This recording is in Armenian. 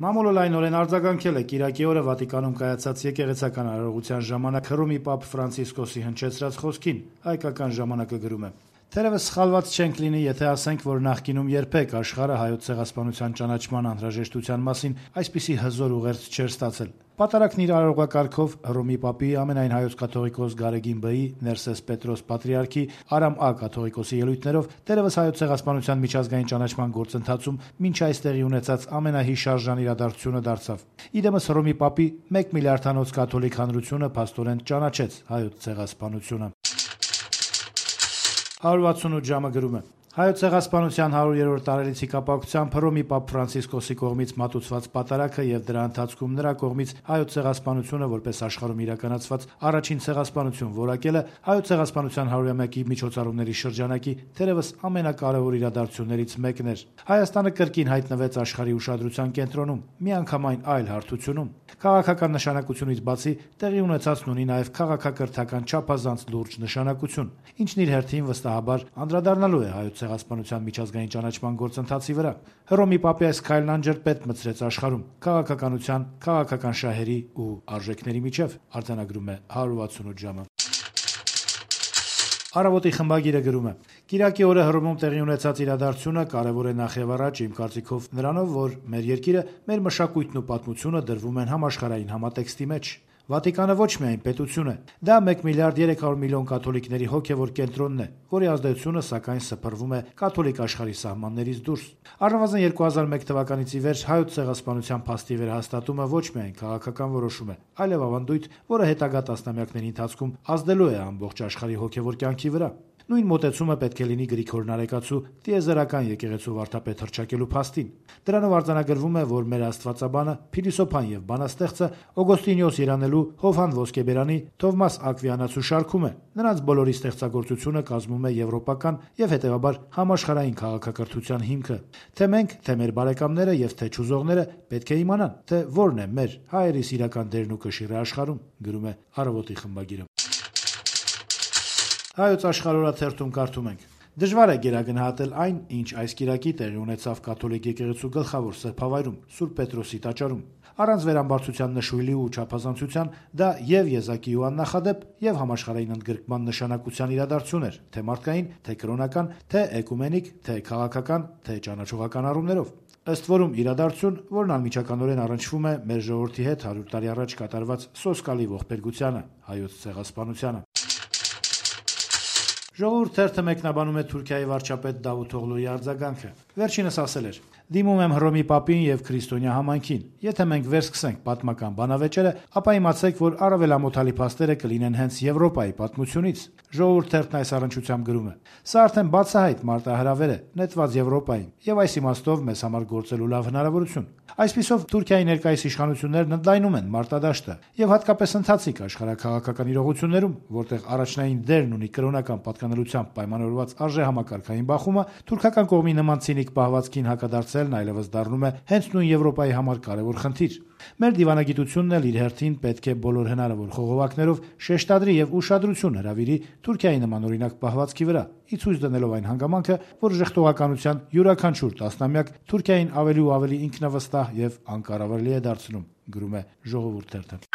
Մամուլը լայնորեն արձագանքել է կիրակի օրը Վատիկանում կայացած եկեղեցական արարողության ժամանակ Հռոմի Պապ Ֆրանցիսկոսի հնչեցրած խոսքին, հայկական ժամանակը գրում է. «Թերևս սխալված չենք լինի, եթե ասենք, որ նախկինում երբեք աշխարհը հայոց ցեղասպանության ճանաչման անհրաժեշտության մասին այսպիսի հզոր ուղերձ չէր ստացել։ Պատարագն իր արարողակարգով Հռոմի Պապի, ամենայն հայոց կաթողիկոս Գարեգին Բ-ի, Ներսես Պետրոս Պատրիարքի, Արամ Ա կաթողիկոսի ելույթներով թերևս հայոց ցեղասպանության միջազգային ճանաչման գործընթացում մինչ այս տեղի ունեցած ամենահիշարժան իրադարձությունը դարձավ։ Իդեմս Հռոմի Պապի 1 միլիարդանոց կաթոլիկ հանրությունը փաստորեն ճանաչեց հայոց ցեղասպանությունը»։ 168 ժամը գրում է. Հայոց ցեղասպանության 100-րդ տարելիցի կապակցությամբ Հռոմի Պապ Ֆրանցիսկոսի կողմից մատուցված պատարագը եւ դրա ընթացքում նրա կողմից հայոց ցեղասպանությունը որպես աշխարհում իրականացված առաջին ցեղասպանություն որակելը հայոց ցեղասպանության 100-ամյակի միջոցառումների շրջանակի թերևս ամենակարևոր իրադարձություններից մեկն էր։ Հայաստանը կրկին հայտնվեց աշխարհի ուշադրության կենտրոնում, միանգամայն այլ հարթությունում։ Քաղաքական նշանակությունից բացի տեղի ունեցածն ունի նաեւ քաղաքակրթական չափազանց լուրջ նշանակություն, ինչն իր հերթին վստահաբար անդրադառնալու է հայոց ցեղասպանության միջազգային ճանաչման գործընթացի վրա։ Հռոմի Պապի այս քայլն անջրպետ մտցրեց աշխարհում քաղաքականության, քաղաքական շահերի ու արժեքների միջև, արձանագրում է 168 ժամը։ Առավոտի խմբագիրը գրում է. «Կիրակի օրը Հռոմում տեղի ունեցած իրադարձությունը կարևոր է նախ եւ առաջ իմ կարծիքով նրանով, որ մեր երկիրը, մեր մշակույթն ու պատմությունը դրվում են համաշխարհային համատեքստի մեջ։ Վատիկանը ոչ միայն պետություն է, դա 1 միլիարդ 300 միլիոն կաթոլիկների հոգևոր կենտրոնն է, որի ազդեցությունը սակայն սփռվում է կաթոլիկ աշխարհի սահմաններից դուրս։ Առնվազն 2001 թվականից ի վեր հայոց ցեղասպանության փաստի վերահաստատումը ոչ միայն քաղաքական որոշում է, այլև ավանդույթ, որը հետագա տասնամյակների ընթացքում ազդելու է ամբողջ աշխարհի հոգևոր կյանքի վրա։ Նույն մոտեցումը պետք է լինի Գրիգոր Նարեկացու տիեզերական եկեղեցու վարդապետ հռչակելու փաստին։ Դրանով արձանագրվում է, որ մեր աստվածաբանը, փիլիսոփան եւ բանաստեղծը Օգոստինիոս Երանելու, Հովհան Ոսկեբերանի, Թովմաս Ակվիանացու շարքում է։ Նրանց բոլորի ստեղծագործությունը կազմում է եվրոպական եւ հետեւաբար համաշխարհային քաղաքակրթության հիմքը։ Թե մենք, թե մեր բարեկամները եւ թե չուզողները պետք է իմանան, թե որն է մեր հայերիս իրական դերն ու կշիռը աշխարհում, գրում է Առավոտի խմբագիրը։ Հայոց աշխարհորաթերթում կարդում ենք. «Դժվար է գերագնահատել այն, ինչ այս կիրակի տեղի ունեցավ կաթոլիկ եկեղեցու գլխավոր սրբավայրում, Սուրբ Պետրոսի տաճարում։ Առանց վերամբարձության նշույլի ու չափազանցության դա եւ եզակի ու աննախադեպ եւ համաշխարհային ընդգրկման նշանակության իրադարձություն էր, թե մարդկային, թե կրոնական, թե էկումենիկ, թե քաղաքական, թե ճանաչողական առումներով։ Ըստ որում իրադարձություն, որն անմիջականորեն առնչվում է մեր ժողովրդի հետ 100 տարի առաջ կատարված սոսկալի ողբերգությանը, հայոց ցեղասպանությանը»։ Ժողովուրդ թերթը մեկնաբանում է Թուրքիայի վարչապետ Դավութ Օղլուի արձագանքը։ Վերջինս ասել էր. «Դիմում եմ Հռոմի Պապին եւ քրիստոնյա համայնքին։ Եթե մենք վերսկսենք պատմական բանավեճերը, ապա իմացեք, որ առավել ամոթալի փաստերը կլինեն հենց Եվրոպայի պատմությունից»։ Ժողովուրդ թերթն այս առնչությամբ գրում է. «Սա արդեն բացահայտ մարտահրավեր է, նետված Եվրոպային, եւ այս իմաստով մեզ համար գործելու լավ հնարավորություն։ Այսպիսով Թուրքիայի ներկայիս իշխանություններն ընդլայնում են մարտադաշտը եւ հատկապես ընթացիկ աշխարհաքաղաքական իրողություններում, որտեղ առաջնային դերն ունի կրոնական պատկանելությամբ պայմանավորված արժեհամակարգային բախումը, թուրքական կողմի նման ցինիկ պահվածքին հակադարձելն այլևս դառնում է հենց նույն Եվրոպայի համար կարևոր խնդիր։ Մեր դիվանագիտությունն էլ իր հերթին պետք է բոլոր հնարավոր խողովակներով շեշտադրի եւ ուշադրություն հրավիրի Թուրքիայի նման օրինակ պահվածքի վրա, ի ցույց դնելով այն հանգամանքը, որ ժխտողականության յուրաքանչյուր տասնամյակ Թուրքիային ավելի ու ավելի ինքնավստահ եւ անկառավարելի է դարձնում», գրում է Ժողովուրդ թերթը։